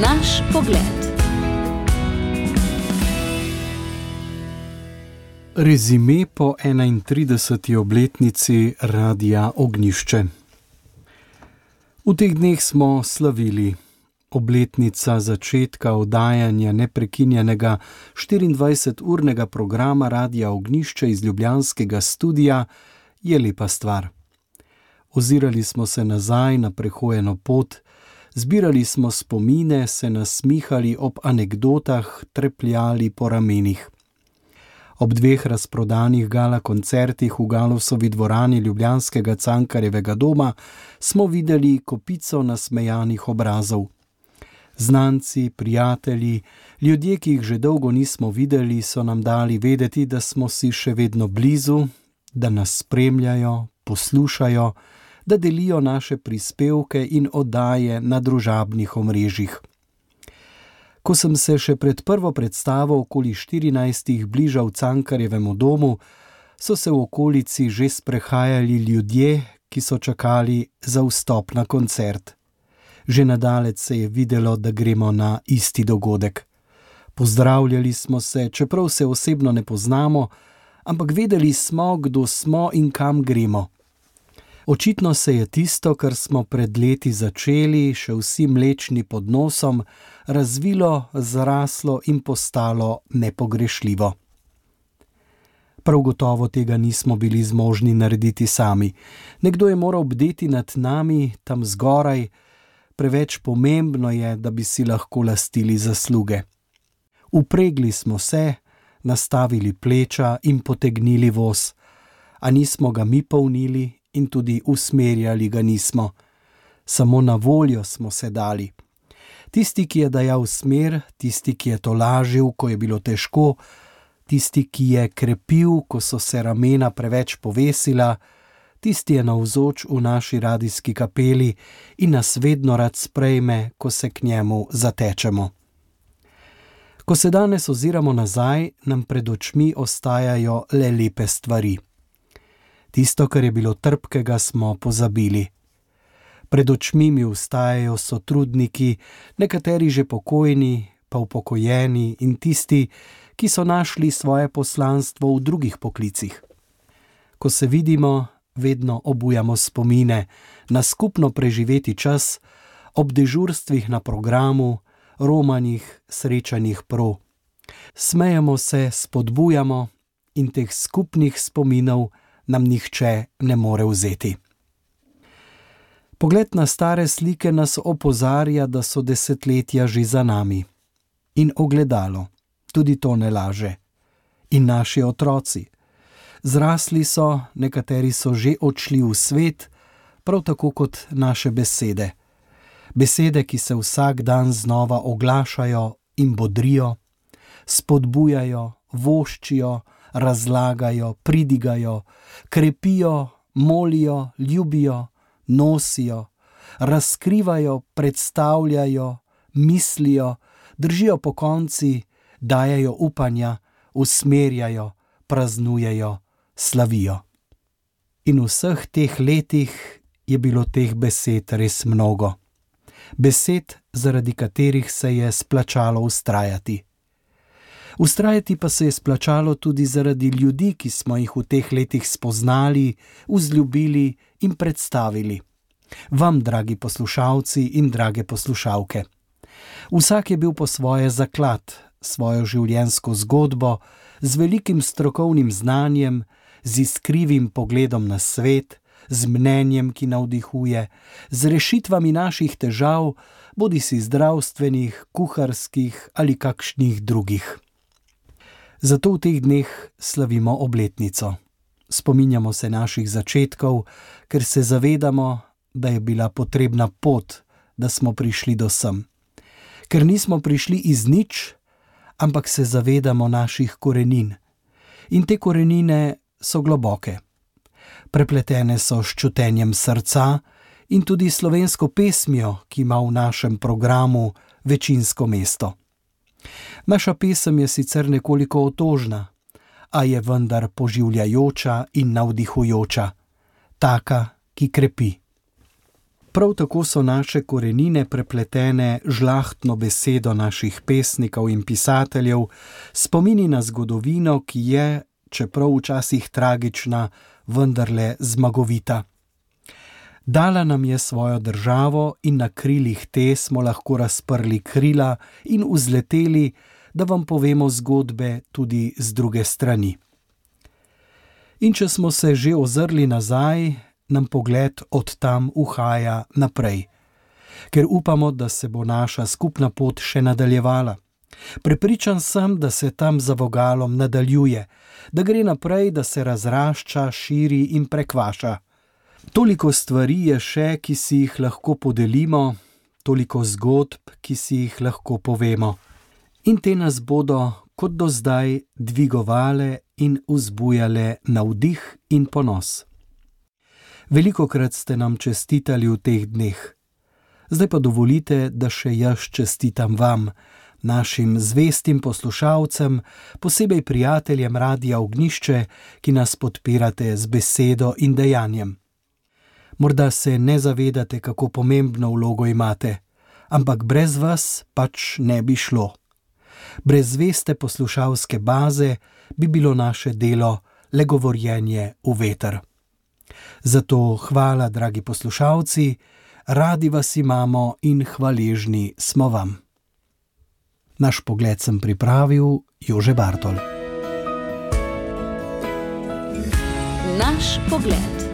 Naš pogled. Rezime po 31. obletnici Radia Ognjišče. V teh dneh smo slavili. Obletnica začetka oddajanja neprekinjenega 24-urnega programa Radia Ognjišče iz ljubljanskega studia je lepa stvar. Ozirali smo se nazaj na prehojeno pot, zbirali smo spomine, se nasmihali ob anekdotah, trepljali po ramenih. Ob 2 razprodanih gala koncertih v Galusovi dvorani ljubljanskega Cankarjevega doma smo videli kopico nasmejanih obrazov. Znanci, prijatelji, ljudje, ki jih že dolgo nismo videli, so nam dali vedeti, da smo si še vedno blizu, da nas spremljajo, poslušajo, da delijo naše prispevke in oddaje na družabnih omrežjih. Ko sem se še pred prvo predstavo okoli 14 bližal Cankarjevemu domu, so se v okolici že sprehajali ljudje, ki so čakali za vstop na koncert. Že nadalec se je videlo, da gremo na isti dogodek. Pozdravljali smo se, čeprav se osebno ne poznamo, ampak vedeli smo, kdo smo in kam gremo. Očitno se je tisto, kar smo pred leti začeli, še vsi mlečni pod nosom, razvilo, zraslo in postalo nepogrešljivo. Prav gotovo tega nismo bili zmožni narediti sami. Nekdo je moral bdeti nad nami, tam zgoraj, preveč pomembno je, da bi si lahko lastili zasluge. Upregli smo se, nastavili pleča in potegnili voz, a nismo ga mi polnili in tudi usmerjali ga nismo. Samo na voljo smo se dali. Tisti, ki je dajal smer, tisti, ki je tolažil, ko je bilo težko, tisti, ki je krepil, ko so se ramena preveč povesila, tisti je navzoč v naši radijski kapeli in nas vedno rad sprejme, ko se k njemu zatečemo. Ko se danes oziramo nazaj, nam pred očmi ostajajo le lepe stvari. Tisto, kar je bilo trpkega, smo pozabili. Pred očmi mi vstajajo sotrudniki, nekateri že pokojni, pa upokojeni in tisti, ki so našli svoje poslanstvo v drugih poklicih. Ko se vidimo, vedno obujamo spomine na skupno preživeti čas, ob dežurstvih na programu, romanjih, srečanjih pro. Smejemo se, spodbujamo in teh skupnih spominov nam nihče ne more vzeti. Pogled na stare slike nas opozarja, da so desetletja že za nami. In ogledalo, tudi to ne laže. In naši otroci. Zrasli so, nekateri so že odšli v svet, prav tako kot naše besede. Besede, ki se vsak dan znova oglašajo in bodrijo, spodbujajo, voščijo, razlagajo, pridigajo, krepijo, molijo, ljubijo, nosijo, razkrivajo, predstavljajo, mislijo, držijo pokonci, dajejo upanja, usmerjajo, praznujejo, slavijo. In v vseh teh letih je bilo teh besed res mnogo. Besed, zaradi katerih se je splačalo vztrajati. Vztrajati pa se je splačalo tudi zaradi ljudi, ki smo jih v teh letih spoznali, vzljubili in predstavili. Vam, dragi poslušalci in drage poslušalke. Vsak je bil po svoje zaklad, svojo življenjsko zgodbo, z velikim strokovnim znanjem, z iskrivim pogledom na svet, z mnenjem, ki navdihuje, z rešitvami naših težav, bodisi zdravstvenih, kuharskih ali kakšnih drugih. Zato v teh dneh slavimo obletnico. Spominjamo se naših začetkov, ker se zavedamo, da je bila potrebna pot, da smo prišli do sem. Ker nismo prišli iz nič, ampak se zavedamo naših korenin. In te korenine so globoke. Prepletene so s čutenjem srca in tudi slovensko pesmijo, ki ima v našem programu večinsko mesto. Naša pesem je sicer nekoliko otožna, a je vendar poživljajoča in navdihujoča, taka, ki krepi. Prav tako so naše korenine prepletene žlahtno besedo naših pesnikov in pisateljev, spomini na zgodovino, ki je, čeprav včasih tragična, vendarle zmagovita. Dala nam je svojo državo in na krilih te smo lahko razprli krila in vzleteli, da vam povemo zgodbe tudi z druge strani. In če smo se že ozrli nazaj, nam pogled od tam uhaja naprej, ker upamo, da se bo naša skupna pot še nadaljevala. Prepričan sem, da se tam za vogalom nadaljuje, da gre naprej, da se razrašča, širi in prekvaša. Toliko stvari je še, ki si jih lahko podelimo, toliko zgodb, ki si jih lahko povemo. In te nas bodo, kot do zdaj, dvigovale in vzbujale navdih in ponos. Velikokrat ste nam čestitali v teh dneh. Zdaj pa dovolite, da še jaz čestitam vam, našim zvestim poslušalcem, posebej prijateljem Radia Ognjišče, ki nas podpirate z besedo in dejanjem. Morda se ne zavedate, kako pomembno vlogo imate, ampak brez vas pač ne bi šlo. Brez zveste poslušalske baze bi bilo naše delo le govorjenje v veter. Zato hvala, dragi poslušalci, radi vas imamo in hvaležni smo vam. Naš pogled sem pripravil Jože Bartol. Naš pogled.